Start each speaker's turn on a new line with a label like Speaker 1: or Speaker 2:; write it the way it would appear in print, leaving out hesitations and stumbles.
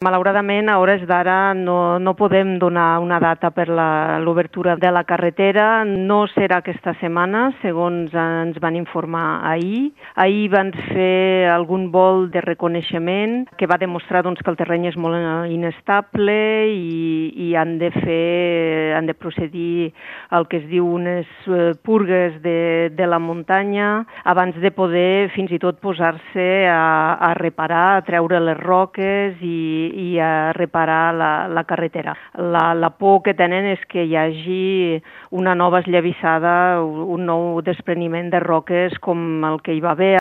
Speaker 1: Malauradament, a hores d'ara no podem donar una data per l'obertura de la carretera. No serà aquesta setmana, segons ens van informar ahir. Ahir van fer algun vol de reconeixement que va demostrar que el terreny és molt inestable i han de procedir al que es diu unes purgues de la muntanya abans de poder fins i tot posar-se a reparar, a treure les roques i a reparar la carretera. La por que tenen és que hi hagi una nova esllavissada, un nou despreniment de roques com el que hi va haver